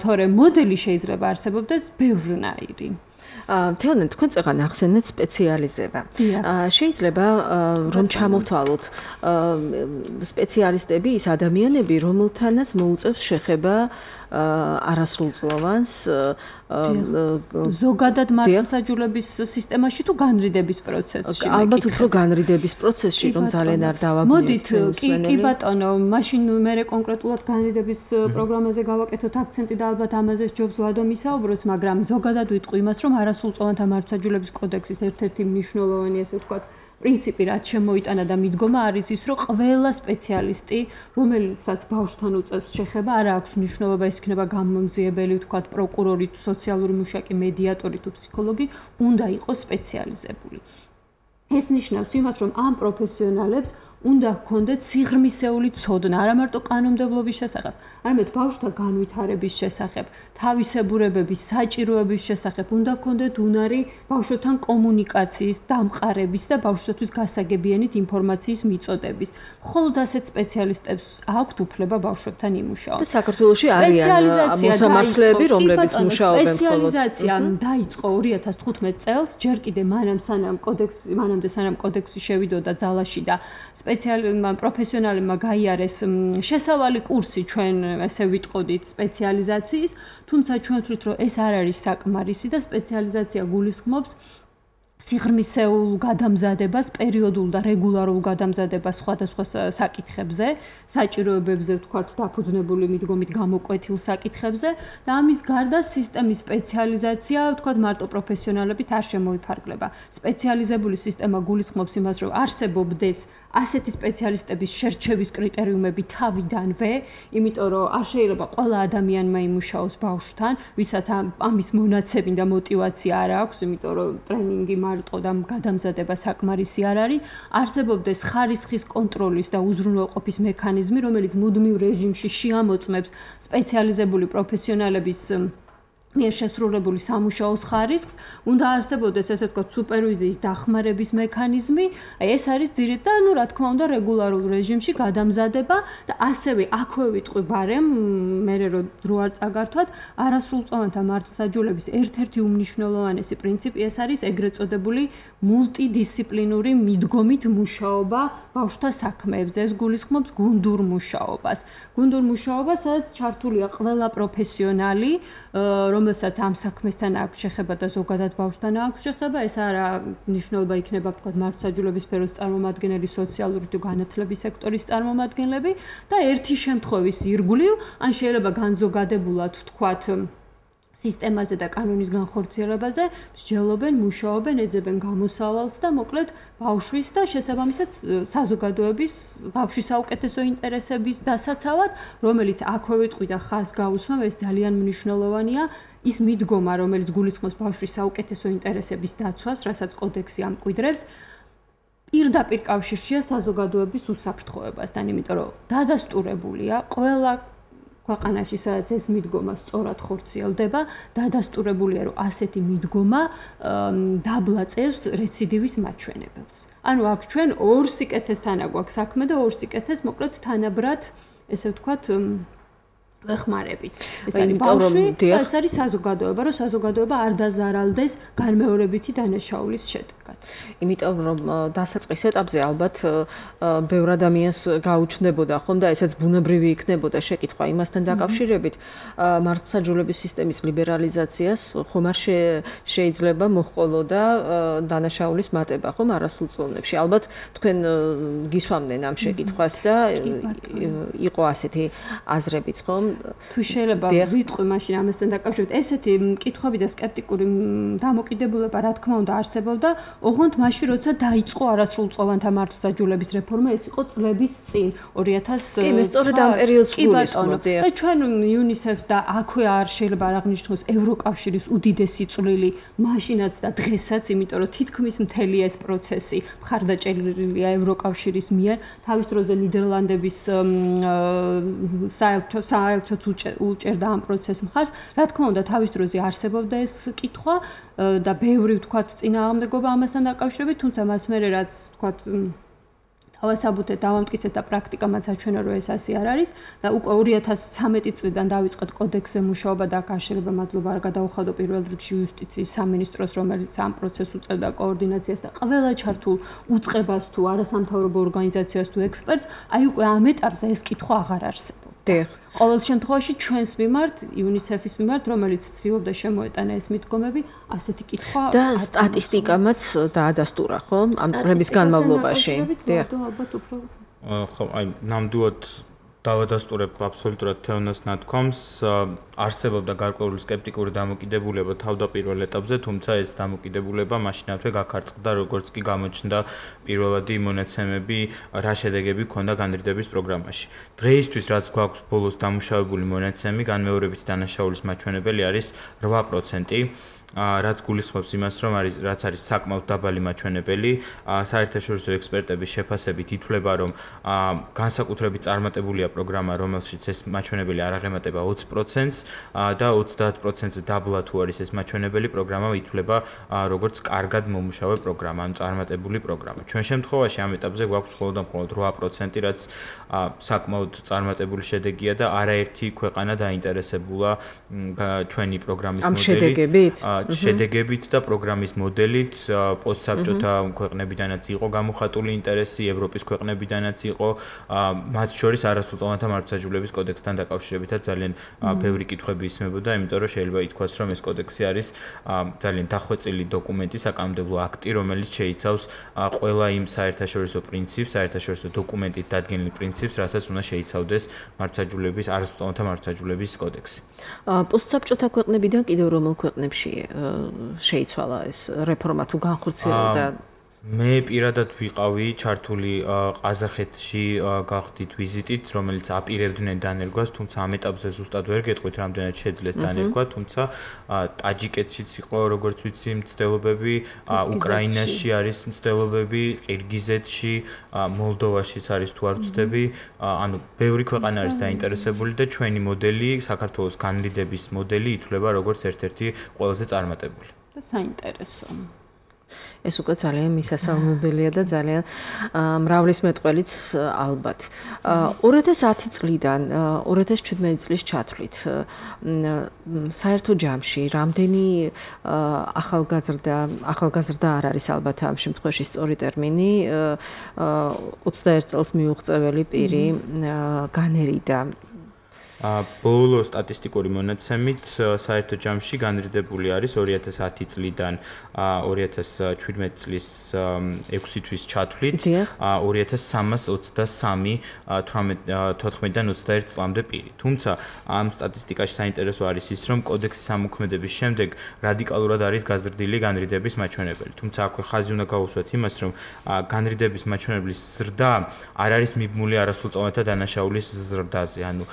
თორემ მოდელი შეიძლება არსებობდეს ბევრნაირი. თეონა, თქვენ წეგან ახსენეთ სპეციალიზება. შეიძლება რომ ჩამოვთვალოთ სპეციალისტები ის ადამიანები, რომელთანაც მოუწევს შეხება არასრულწლოვანს ზოგადად მართლმსაჯულების სისტემაში თუ განრიდების პროცესში. ალბათ უფრო განრიდების პროცესში, რომ ძალიან არ დავაბნიოთ. მოდით, კი, კი ბატონო, მაშინ მე კონკრეტულად განრიდების პროგრამაზე გავაკეთოთ აქცენტი და ალბათ ამაზე ჯობს ლადო მისაუბროს, მაგრამ ზოგადად ვიტყვი იმას, რომ არასრულწლოვანთა მართლმსაჯულების კოდექსის ერთ-ერთი მნიშვნელოვანი, ასე ვთქვათ, პრინციპი რაც შემოიტანა და მიდგომა არის ის, რომ ყველა სპეციალისტი, რომელსაც ბავშვთან უწევს შეხება, არა აქვს მნიშვნელობა ის იქნება გამომძიებელი, ვთქვათ, პროკურორი, სოციალური მუშაკი, მედიატორი თუ ფსიქოლოგი, უნდა იყოს სპეციალიზებული. ეს ნიშნავს იმას, რომ ამ პროფესიონალებს უნდა ჰქონდეთ სიღრმისეული ცოდნა, არა მარტო კანონმდებლობის შესახებ, არამედ ბავშვთა განვითარების შესახებ, თავისებურებების, საჭიროების შესახებ, უნდა ჰქონდეთ უნარი ბავშვთან კომუნიკაციის, დამყარების და ბავშვთვის გასაგებიანით ინფორმაციის მიწოდების. მხოლოდ ასეთ სპეციალისტებს აქვთ უფლება ბავშვებთან იმუშაოს. და საქართველოში არიან მოსამართლეები, რომლებიც მუშაობენ მხოლოდ. სპეციალიზაცია დაიწყო ორი ათას თხუთმეტ წელს, ჯერ კიდევ მანამ სანამ კოდექსი, მანამდე სანამ კოდექსი შევიდოდა ძალაში და სპეციალურმა პროფესიონალებმა გაიარეს შესავალი კურსი ჩვენ ესე ვიტყოდით სპეციალიზაციის, თუმცა ჩვენ ვთვლით რომ ეს არ არის საკმარისი და სპეციალიზაცია გულისხმობს სიღრმისეულ გადამზადებას, პერიოდულ და რეგულარულ გადამზადებას სხვადასხვა საკითხებზე, საჭიროებებზე, ვთქვათ, დაფუძნებული მიდგომით გამოკვეთილ საკითხებზე და ამის გარდა სისტემის სპეციალიზაცია, ვთქვათ, მარტო პროფესიონალებით არ შემოიფარგლება. სპეციალიზებული სისტემა გულისხმობს იმას, რომ არსებობდეს ასეთი სპეციალისტების შერჩევის კრიტერიუმები თავიდანვე, იმიტომ რომ არ შეიძლება ყველა ადამიანმა იმუშაოს ბავშვთან, ვისაც ამის მონაცემი და мотиваცია არ აქვს, იმიტომ რომ ტრენინგი მარტო და გადამზადება საკმარისი არ არის, არსებობდეს ხარისხის კონტროლის და უზრუნველყოფის მექანიზმი, რომელიც მუდმივ რეჟიმში შეამოწმებს სპეციალიზებული პროფესიონალების მიერ შესრულებული სამუშაოს ხარისხს, უნდა არსებობდეს ესე ვთქვათ სუპერვიზიის დახმარების მექანიზმი, აი ეს არის ძირითადად და ნუ რა თქმა უნდა რეგულარულ რეჟიმში გადამზადება და ასევე აქვე ვიტყვი ბარემ, მე რო დრო არ წაგართვათ, არასრულწლოვანთა მართლმსაჯულების ერთ-ერთი უმნიშვნელოვანესი პრინციპი ეს არის ეგრეთ წოდებული მულტიდისციპლინური მიდგომით მუშაობა ბავშვთა საქმეებზე, ეს გულისხმობს გუნდურ მუშაობას. გუნდურ მუშაობას, სადაც ჩართულია ყველა პროფესიონალი, რომელსაც ამ საქმესთან აქვს შეხება და ზოგადად ბავშვთან აქვს შეხება, ეს არა მნიშვნელობა იქნება ვთქვათ მართლმსაჯულების სფეროს წარმომადგენელი, სოციალური თუ განათლების სექტორის წარმომადგენლები და ერთი შემთხვევის ირგვლივ, ან შეიძლება განზოგადებულად ვთქვათ სისტემაზე და კანონის განხორციელებაზე მსჯელობენ, მუშაობენ, ეძებენ გამოსავალს და მოკლედ ბავშვის და შესაბამისად საზოგადოების ბავშვის საუკეთესო ინტერესების დასაცავად, რომელიც აქვე ვიტყვი და ხაზს გაუსვამ, ეს ძალიან მნიშვნელოვანია. ის მიდგომა, რომელიც გულისხმობს ბავშვის საუკეთესო ინტერესების დაცვას, რასაც კოდექსი ამკვიდრებს, პირდაპირ კავშირშია საზოგადოების უსაფრთხოებასთან, იმიტომ რომ დადასტურებულია ყველა ქვეყანაში, სადაც ეს მიდგომა სწორად ხორციელდება, დადასტურებულია, რომ ასეთი მიდგომა დაბლაწევს რეციდივის მაჩვენებელს. ანუ აქ ჩვენ ორ სიკეთესთან აგვაქვს საქმე და ორ სიკეთეს მოკლედ თანაბრად, ესე ვთქვათ, ვეხმარებით. ეს არის ბავშვი და ეს არის საზოგადოება, რომ საზოგადოება არ დაზარალდეს განმეორებითი დანაშაულის შედეგად. იმიტომ რომ დასაწყის ეტაპზე ალბათ ბევრ ადამიანს გაუჩნდებოდა ხომ და ესეც ბუნებრივი იქნებოდა შეკითხვა იმასთან დაკავშირებით, მართლმსაჯულების სისტემის ლიბერალიზაციას ხომ არ შეიძლება მოჰყოლოდა დანაშაულის მატება ხომ არასრულწლოვნებში. ალბათ თქვენ გისვამდნენ ამ შეკითხვას და იყო ასეთი აზრებიც ხომ? თუ შეიძლება ვიტყვი მაშინ ამასთან დაკავშირებით, ესეთი კითხვები და სკეპტიკური დამოკიდებულება რა თქმა უნდა არსებობდა, ოღონდ მაშინ როცა დაიწყო არასრულწლოვანთა მართლმსაჯულების რეფორმა, ეს იყო წლების წინ ორი ათას კი, მე სწორედ ამ პერიოდს გულისხმობდი. და ჩვენ იუნისეფს და აქვე არ შეიძლება არ აღნიშნოს ევროკავშირის უდიდესი წვლილი მაშინაც და დღესაც, იმიტომ რომ თითქმის მთელი ეს პროცესი მხარდაჭერილია ევროკავშირის მიერ, თავის დროზე ნიდერლანდების საელჩო საელჩოც უჭერდა ამ პროცესს მხარს. რა თქმა უნდა, თავის დროზე არსებობდა ეს კითხვა და ბევრი ვთქვათ წინააღმდეგობა ამასთან დაკავშირებით, თუმცა მას მერე რაც ვთქვათ თავასაბუთეთ დავამტკიცეთ და პრაქტიკამაც აჩვენა, რომ ეს ასე არ არის და უკვე ორი ათას ცხრამეტი წლიდან დავიწყეთ კოდექსზე მუშაობა და აქ არ შეიძლება მადლობა არ გადაუხადო პირველ რიგში იუსტიციის სამინისტროს, რომელიც ამ პროცესს უწევდა კოორდინაციას და ყველა ჩართულ უწყებას თუ არასამთავრობო ორგანიზაციას თუ ექსპერტს, აი უკვე ამ ეტაპზე ეს კითხვა აღარ არსებობს. ყოველ შემთხვევაში ჩვენს მიმართ, იუნისეფის მიმართ, რომელიც ცდილობდა შემოეტანა ეს მიდგომები, ასეთი კითხვა და სტატისტიკამაც დაადასტურა, ხო? ამ წლების განმავლობაში. ხო, აი, ნამდვილად დავადასტურებ აბსოლუტურად თეონას ნათქვამს, არსებობდა გარკვეული სკეპტიკური დამოკიდებულება თავდაპირველ ეტაპზე, თუმცა ეს დამოკიდებულება მაშინათვე გაქარწყდა, როგორც კი გამოჩნდა პირველადი მონაცემები, რა შედეგები ჰქონდა განრიდების პროგრამაში. დღეისთვის რაც გვაქვს ბოლოს დამუშავებული მონაცემი, განმეორებითი დანაშაულის მაჩვენებელი არის რვა პროცენტი. რაც გულისხმობს იმას, რომ არის რაც არის საკმაოდ დაბალი მაჩვენებელი, საერთაშორისო ექსპერტების შეფასებით ითვლება, რომ განსაკუთრებით წარმატებულია პროგრამა, რომელშიც ეს მაჩვენებელი არ აღემატება ოცი პროცენტს და ოცდაათ პროცენტზე დაბლა თუ არის ეს მაჩვენებელი, პროგრამა ითვლება როგორც კარგად მომუშავე პროგრამა, ან წარმატებული პროგრამა. ჩვენ შემთხვევაში ამ ეტაპზე გვაქვს მხოლოდ და მხოლოდ რვა პროცენტი, რაც საკმაოდ წარმატებული შედეგია და არაერთი ქვეყანა დაინტერესებულა ჩვენი პროგრამის მოდელით. შედეგებით და პროგრამის მოდელით პოსტსაბჭოთა ქვეყნებიდანაც იყო გამოხატული ინტერესი, ევროპის ქვეყნებიდანაც იყო, მათ შორის არასრულწლოვანთა მართლმსაჯულების კოდექსთან დაკავშირებითაც ძალიან ბევრი კითხვები ისმებოდა, იმიტომ რომ შეიძლება ითქვას, რომ ეს კოდექსი არის ძალიან დახვეწილი დოკუმენტი, საკანონმდებლო აქტი, რომელიც შეიცავს ყველა იმ საერთაშორისო პრინციპს, საერთაშორისო დოკუმენტით დადგენილ პრინციპს, რასაც უნდა შეიცავდეს მართლმსაჯულების, არასრულწლოვანთა მართლმსაჯულების კოდექსი. პოსტსაბჭოთა ქვეყნებიდან კიდევ რომელ ქვეყნებში შეიცვალა ეს რეფორმა თუ განხორციელდა? მე პირადად ვიყავი ჩართული ყაზახეთში გავხდით ვიზიტით, რომელიც აპირებდნენ დანერგვას, თუმცა ამ ეტაპზე ზუსტად ვერ გეტყვით, რამდენად შეძლეს დანერგვა, თუმცა ტაჯიკეთშიც იყო, როგორც ვიცი, მცდელობები, უკრაინაში არის მცდელობები, ყირგიზეთში, მოლდოვაშიც არის თუ არ ვცდები, ანუ ბევრი ქვეყანა არის დაინტერესებული და ჩვენი მოდელი, საქართველოს განრიდების მოდელი ითვლება როგორც ერთ-ერთი ყველაზე წარმატებული. და საინტერესო. ეს უკვე ძალიან მისასალმებელია და ძალიან მრავლის მეტყველიც ალბათ. ორი ათას ათი წლიდან ორი ათას ჩვიდმეტი წლის ჩათვლით საერთო ჯამში რამდენი ახალგაზრდა ახალგაზრდა არ არის ალბათ ამ შემთხვევაში სწორი ტერმინი ოცდაერთ წელს მიუღწეველი პირი განერიდა. ბოლო სტატისტიკური მონაცემით საერთო ჯამში განრიდებული არის ორი ათას ათი წლიდან ორი ათას შვიდმეტი წლის ექვსი თვის ჩათვლით ორი ათას სამას ოცდასამი თოთხმეტიდან ოცდაერთ წლამდე პირი. თუმცა ამ სტატისტიკაში საინტერესო არის ის, რომ კოდექსის ამოქმედების შემდეგ რადიკალურად არის გაზრდილი განრიდების მაჩვენებელი. თუმცა აქვე ხაზი უნდა გაუსვათ იმას, რომ განრიდების მაჩვენებლის ზრდა არ არის მიბმული არასრულწლოვანთა დანაშაულის ზრდაზე. ანუ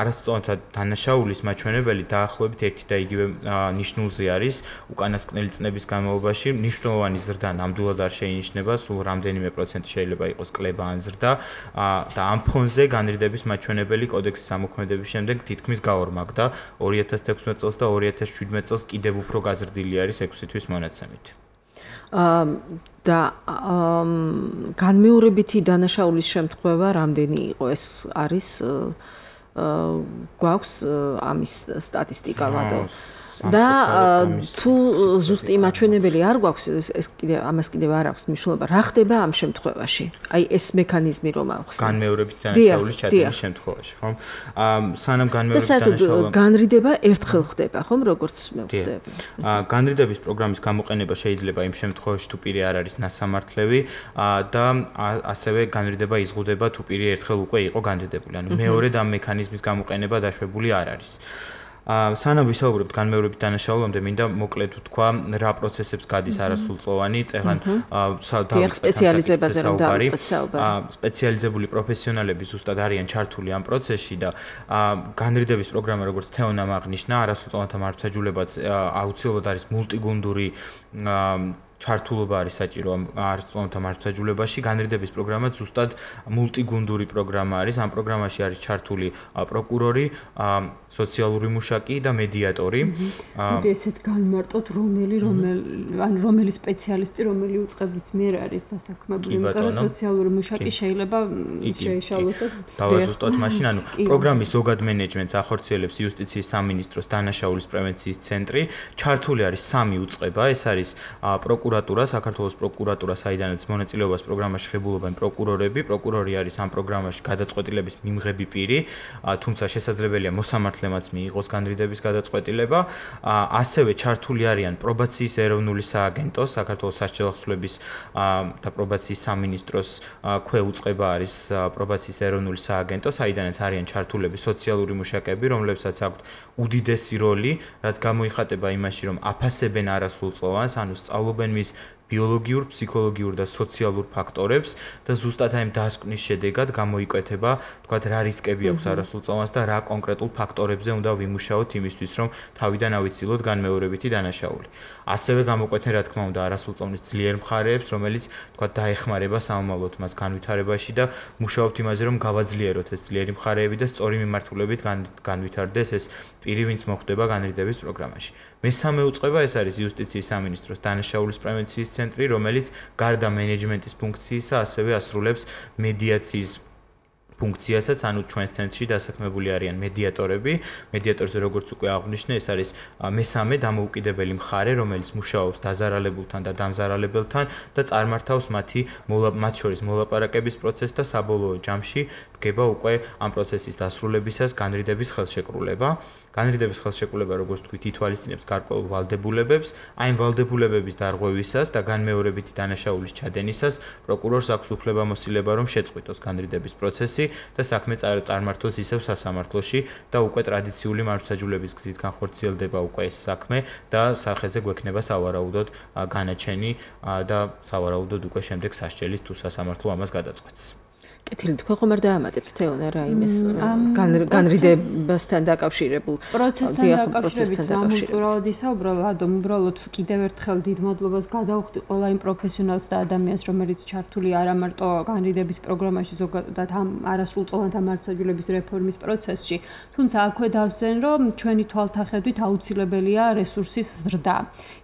არასრულწლოვანთა დანაშაულის მაჩვენებელი დაახლოებით ერთი და იგივე ნიშნულზე არის უკანასკნელი წლების განმავლობაში. მნიშვნელოვანი ზრდა ნამდვილად არ შეინიშნება, სულ რამდენიმე პროცენტი შეიძლება იყოს კლება ან ზრდა და ამ ფონზე განრიდების მაჩვენებელი კოდექსის ამოქმედების შემდეგ თითქმის გაორმაგდა ორი ათას თექვსმეტ წელს და ორი ათას შვიდმეტ წელს კიდევ უფრო გაზრდილი არის ექვსი თვის მონაცემით. და განმეორებითი დანაშაულის შემთხვევა რამდენი იყო ეს არის გვაქვს ამის სტატისტიკა ვადო და თუ ზუსტი მაჩვენებელი არ გვაქვს ეს კიდე ამას კიდევ არ აქვს მნიშვნელობა რა ხდება ამ შემთხვევაში აი ეს მექანიზმი რომ ახსნათ განმეორებითი დანაშაულის ჩადენის შემთხვევაში ხომ სანამ განმეორებითი დანაშაული განრიდება ერთხელ ხდება ხომ როგორც მე ვხვდები განრიდების პროგრამის გამოყენება შეიძლება იმ შემთხვევაში თუ პირი არ არის ნასამართლევი და ასევე განრიდება იზღუდება თუ პირი ერთხელ უკვე იყო განრიდებული ანუ მეორედ ამ მექანიზმის გამოყენება დაშვებული არ არის სანამ ვისაუბრებთ განმეორებით დანაშაულამდე, მინდა მოკლედ ვთქვა რა პროცესებს გადის არასრულწლოვანი, წეღან სპეციალიზებაზე რომ დავიწყეთ საუბარი. სპეციალიზებული პროფესიონალები ზუსტად არიან ჩართული ამ პროცესში და განრიდების პროგრამა როგორც თეონამ აღნიშნა, არასრულწლოვანთა მართლმსაჯულებაც აუცილებლად არის მულტიგუნდური ჩართულობა არის საჭირო არასრულწლოვანთა მართლმსაჯულებაში. განრიდების პროგრამა ზუსტად მულტიგუნდური პროგრამა არის. ამ პროგრამაში არის ჩართული პროკურორი, სოციალური მუშაკი და მედიატორი. მოდი ესეც განმარტოთ, რომელი რომელი ან რომელი სპეციალისტი, რომელი უწყების მიერ არის დასაქმებული, იმიტომ რომ სოციალური მუშაკი შეიძლება შეეშალოს და დავაზუსტოთ მაშინ, ანუ პროგრამის ზოგად მენეჯმენტს ახორციელებს იუსტიციის სამინისტროს დანაშაულის პრევენციის ცენტრი. ჩართული არის სამი უწყება, ეს არის პროკურატურა, საქართველოს პროკურატურა, საიდანაც მონაწილეობას პროგრამაში ღებულობენ პროკურორები. პროკურორი არის ამ პროგრამაში გადაწყვეტილების მიმღები პირი, თუმცა შესაძლებელია მოსამართლემაც მიიღოს განრიდების გადაწყვეტილება. ასევე ჩართული არიან პრობაციის ეროვნული სააგენტო, საქართველოს სასჯელო ახსნების და პრობაციის სამინისტროს ქვე უწყება არის პრობაციის ეროვნული სააგენტო, საიდანაც არიან ჩართულები სოციალური მუშაკები, რომლებსაც აქვთ უდიდესი როლი, რაც გამოიხატება იმაში, რომ აფასებენ არასრულწლოვანს, ანუ სწავლობენ მის ბიოლოგიურ, ფსიქოლოგიურ და სოციალურ ფაქტორებს და ზუსტად აი ამ დასკვნის შედეგად გამოიკვეთება, თქვათ, რა რისკები აქვს არასრულწლოვანს და რა კონკრეტულ ფაქტორებზე უნდა ვიმუშაოთ იმისთვის, რომ თავიდან ავიცილოთ განმეორებითი დანაშაული. ასევე გამოკვეთენ, რა თქმა უნდა, არასრულწლოვნის ძლიერ მხარეებს, რომელიც, თქვათ, დაეხმარება სამომავლოდ მას განვითარებაში და მუშაობთ იმაზე, რომ გავაძლიეროთ ეს ძლიერი მხარეები და სწორი მიმართულებით განვითარდეს ეს პირი, ვინც მოხვდება განრიდების პროგრამაში. მესამე უწყება ეს არის იუსტიციის სამინისტროს დანაშაულის პრევენციის ცენტრი, რომელიც გარდა მენეჯმენტის ფუნქციისა ასევე ასრულებს მედიაციის ფუნქციასაც, ანუ ჩვენს ცენტრში დასაქმებული არიან მედიატორები. მედიატორზე როგორც უკვე აღვნიშნე, ეს არის მესამე დამოუკიდებელი მხარე, რომელიც მუშაობს დაზარალებულთან და დამზარალებელთან და წარმართავს მათი მათ შორის მოლაპარაკების პროცესს და საბოლოო ჯამში დგება უკვე ამ პროცესის დასრულებისას განრიდების ხელშეკრულება. განრიდების ხელშეკრულება, როგორც თქვით, ითვალისწინებს გარკვეულ ვალდებულებებს. აი ამ ვალდებულებების დარღვევისას და განმეორებითი დანაშაულის ჩადენისას პროკურორს აქვს უფლებამოსილება, რომ შეწყვიტოს განრიდების პროცესი და საქმე წარმართოს ისევ სასამართლოში და უკვე ტრადიციული მართლმსაჯულების გზით განხორციელდება უკვე ეს საქმე და სახეზე გვექნება სავარაუდოდ განაჩენი და სავარაუდოდ უკვე შემდეგ სასჯელით თუ სასამართლო ამას გადაწყვეტს. კეთილი, თქვენ ხომ არ დაამატებთ თეონე რა იმის განრიდებასთან დაკავშირებულ პროცესთან დაკავშირებით ამუწურავად ისაუბრა ლადომ, უბრალოდ კიდევ ერთხელ დიდ მადლობას გადავხდი ყველა იმ პროფესიონალს და ადამიანს, რომელიც ჩართული არა მარტო განრიდების პროგრამაში, ზოგადად ამ არასრულწლოვანთა მართლმსაჯულების რეფორმის პროცესში, თუმცა აქვე დავსწენ, რომ ჩვენი თვალთახედვით აუცილებელია რესურსის ზრდა.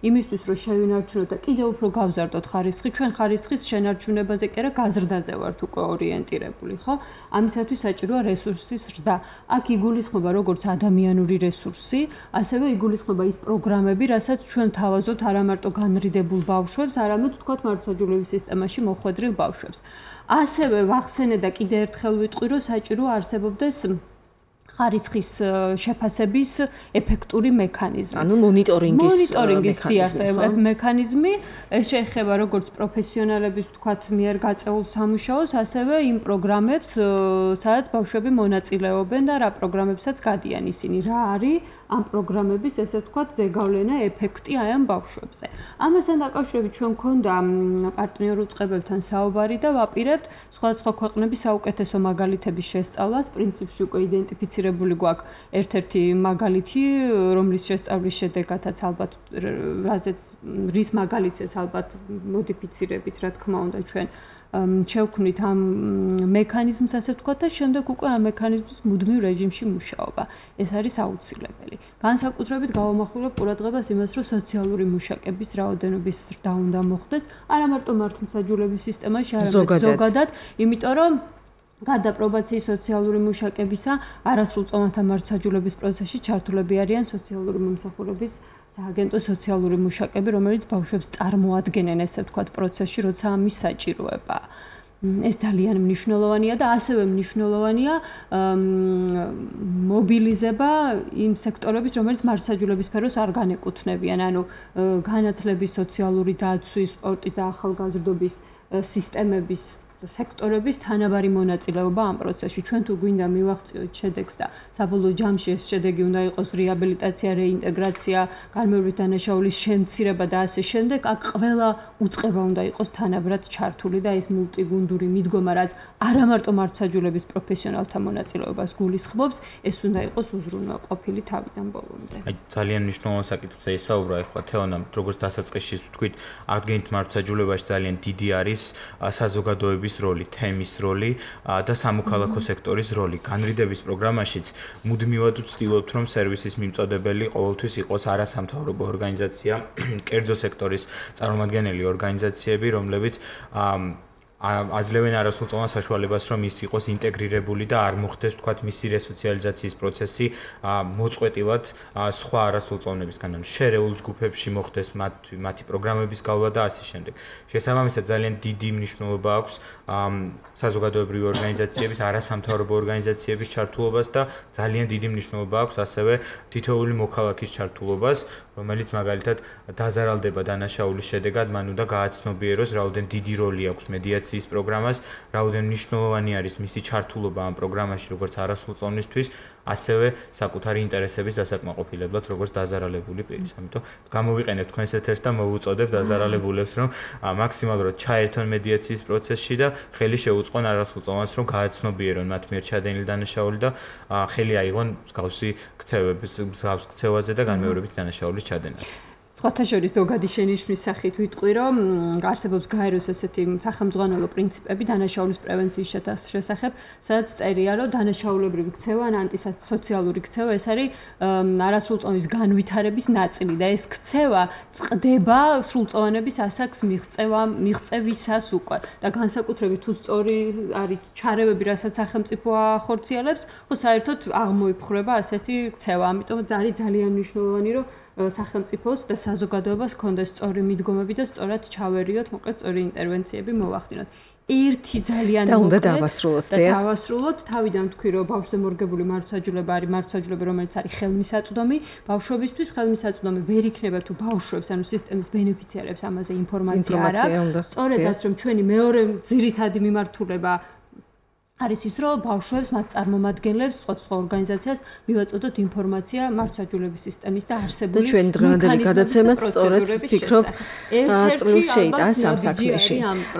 იმისთვის, რომ შევინარჩუნოთ და კიდევ უფრო გავზარდოთ ხარისხი, ჩვენ ხარისხის შენარჩუნებაზე კი არა გაზრდაზე ვართ უკვე ორიენტირებული. ხო? ამისათვის საჭიროა რესურსის ზრდა. აქ იგულისხმება როგორც ადამიანური რესურსი, ასევე იგულისხმება ის პროგრამები, რასაც ჩვენ თავაზობთ არა მარტო განრიდებულ ბავშვებს, არამედ თქვათ მართლმსაჯულების სისტემაში მოხვედრილ ბავშვებს. ასევე ვახსენე და კიდევ ერთხელ ვიტყვი, რომ საჭირო არსებობდეს ხარისხის შეფასების ეფექტური მექანიზმი. ანუ მონიტორინგის მონიტორინგის მექანიზმი, ეს შეეხება როგორც პროფესიონალების თქვათ მიერ გაწეულ სამუშაოს, ასევე იმ პროგრამებს, სადაც ბავშვები მონაწილეობენ და რა პროგრამებსაც გადიან ისინი, რა არის ამ პროგრამების ესე ვთქვათ ზეგავლენა ეფექტი აი ამ ბავშვებზე. ამასთან დაკავშირებით ჩვენ გვქონდა პარტნიორულ წყებებთან საუბარი და ვაპირებთ სხვადასხვა ქვეყნების საუკეთესო მაგალითების შესწავლას, პრინციპში უკვე იდენტიფიცირებული გვაქვს ერთ-ერთი მაგალითი, რომლის შესწავლის შედეგადაც ალბათ რაზეც რის მაგალითზეც ალბათ მოდიფიცირებით, რა თქმა უნდა, ჩვენ შევქმნით ამ მექანიზმს, ასე ვთქვათ, და შემდეგ უკვე ამ მექანიზმის მუდმივ რეჟიმში მუშაობა. ეს არის აუცილებელი. განსაკუთრებით გავამახვილებ ყურადღებას იმას, რომ სოციალური მუშაკების რაოდენობის ზრდა უნდა მოხდეს, არა მარტო მართლმსაჯულების სისტემაში, არამედ ზოგადად, იმიტომ რომ გარდა პრობაციის სოციალური მუშაკებისა, არასრულწლოვანთა მართლმსაჯულების პროცესში ჩართულები არიან სოციალური მომსახურების სააგენტო სოციალური მუშაკები, რომელიც ბავშვებს წარმოადგენენ, ესე ვთქვათ, პროცესში, როცა ამის საჭიროება. ეს ძალიან მნიშვნელოვანია და ასევე მნიშვნელოვანია მობილიზება იმ სექტორების, რომელიც მართლმსაჯულების სფეროს არ განეკუთვნებიან, ანუ განათლების, სოციალური დაცვის, სპორტის და ახალგაზრდობის სისტემების სექტორების თანაბარი მონაწილეობა ამ პროცესში. ჩვენ თუ გვინდა მივაღწიოთ შედეგს და საბოლოო ჯამში ეს შედეგი უნდა იყოს რეაბილიტაცია, რეინტეგრაცია, განმეორებით დანაშაულის შემცირება და ასე შემდეგ, აქ ყველა უწყება უნდა იყოს თანაბრად ჩართული და ეს მულტიგუნდური მიდგომა, რაც არა მარტო მართლმსაჯულების პროფესიონალთა მონაწილეობას გულისხმობს, ეს უნდა იყოს უზრუნველყოფილი თავიდან ბოლომდე. აი ძალიან მნიშვნელოვანი საკითხზე ისაუბრა ახლა თეონამ, როგორც დასაწყისში ვთქვით, აღდგენით მართლმსაჯულებაში ძალიან დიდი არის საზოგადოების როლი, თემის როლი და სამოქალაქო სექტორის როლი. განრიდების პროგრამაშიც მუდმივად ვცდილობთ, რომ სერვისის მიმწოდებელი ყოველთვის იყოს არასამთავრობო ორგანიზაცია, კერძო სექტორის წარმომადგენელი ორგანიზაციები, რომლებიც აძლევენ არასრულწლოვან საშუალებას, რომ ის იყოს ინტეგრირებული და არ მოხდეს, თქვათ, მისი რესოციალიზაციის პროცესი მოწყვეტილად სხვა არასრულწლოვნებისგან, ანუ შერეულ ჯგუფებში მოხდეს მათი პროგრამების გავლა და ასე შემდეგ. შესაბამისად, ძალიან დიდი მნიშვნელობა აქვს საზოგადოებრივი ორგანიზაციების, არასამთავრობო ორგანიზაციების ჩართულობას და ძალიან დიდი მნიშვნელობა აქვს ასევე თითოეული მოქალაქის ჩართულობას, რომელიც მაგალითად დაზარალდება დანაშაულის შედეგად, მან უნდა გააცნობიეროს, რაოდენ დიდი როლი აქვს მედიაციის პროგრამას, რაოდენ მნიშვნელოვანი არის მისი ჩართულობა ამ პროგრამაში, როგორც არასრულწლოვნისთვის, ასევე საკუთარი ინტერესების დასაკმაყოფილებლად, როგორც დაზარალებული პირის. ამიტომ გამოვიყენებთ თქვენს ეთერს და მოვუწოდებთ დაზარალებულებს, რომ მაქსიმალურად ჩაერთონ მედიაციის პროცესში და ხელი შეუწყონ არასრულწლოვანს, რომ გააცნობიერონ მათ მიერ ჩადენილი დანაშაული და ხელი აიღონ მსგავსი ქცევების, მსგავს ქცევაზე და განმეორებით დანაშაულის ჩადენაზე. სხვათა შორის ზოგადი შენიშვნის სახით ვიტყვი, რომ არსებობს გაეროს ესეთი სახელმძღვანელო პრინციპები დანაშაულის პრევენციის შესახებ, სადაც წერია, რომ დანაშაულებრივი ქცევა ან ანტისოციალური ქცევა ეს არის არასრულწლოვანის განვითარების ნაწილი და ეს ქცევა წყდება სრულწლოვანების ასაკს მიღწევა მიღწევისას უკვე და განსაკუთრებით თუ სწორი არის ჩარევები, რასაც სახელმწიფო ახორციელებს, ხო საერთოდ აღმოიფხვრება ასეთი ქცევა. ამიტომ არის ძალიან მნიშვნელოვანი, რომ სახელმწიფოს და საზოგადოებას ჰქონდეს სწორი მიდგომები და სწორად ჩავერიოთ, მოკლედ სწორი ინტერვენციები მოვახდინოთ. ერთი ძალიან და უნდა დავასრულოთ და დავასრულოთ. თავიდან თქვი, რომ ბავშვზე მორგებული მარცხაჯულება არის მარცხაჯულება, რომელიც არის ხელმისაწვდომი. ბავშვებისთვის ხელმისაწვდომი ვერ იქნება თუ ბავშვებს, ანუ სისტემის ბენეფიციარებს ამაზე ინფორმაცია არ აქვს. სწორედაც რომ ჩვენი მეორე ძირითადი მიმართულება არის ის, რომ ბავშვებს, მათ წარმომადგენლებს, სხვა ორგანიზაციას მივაწოდოთ ინფორმაცია მარცხაჯულების სისტემის და არსებული და ჩვენ დღევანდელი გადაცემაც სწორედ ფიქრობ წვრილს შეიტანს ამ საქმეში.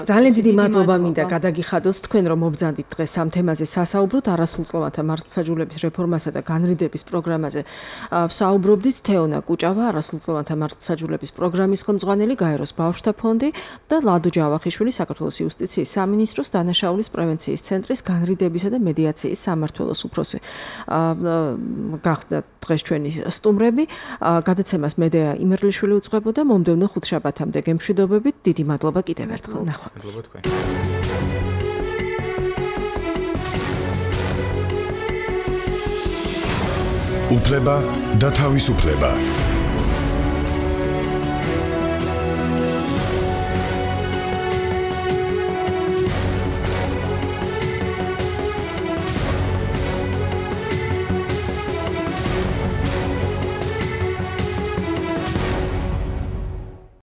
ძალიან დიდი მადლობა მინდა გადაგიხადოთ თქვენ, რომ მობრძანდით დღეს ამ თემაზე სასაუბროთ, არასრულწლოვანთა მარცხაჯულების რეფორმასა და განრიდების პროგრამაზე. საუბრობდით თეონა კუჭავა, არასრულწლოვანთა მარცხაჯულების პროგრამის ხელმძღვანელი, გაეროს ბავშვთა ფონდი და ლადო ჯავახიშვილი, საქართველოს იუსტიციის სამინისტროს დანაშაულის პრევენციის ცენტრის განრიდებისა და მედიაციის სამმართველოს უფროსი. გახდა დღეს ჩვენი სტუმრები. გადაცემას მედეა იმერლიშვილი უძღვებოდა. მომდევნო ხუთშაბათამდე გემშვიდობებით. დიდი მადლობა კიდევ ერთხელ. ნახვამდის. მადლობა თქვენ. უფლება და თავისუფლება.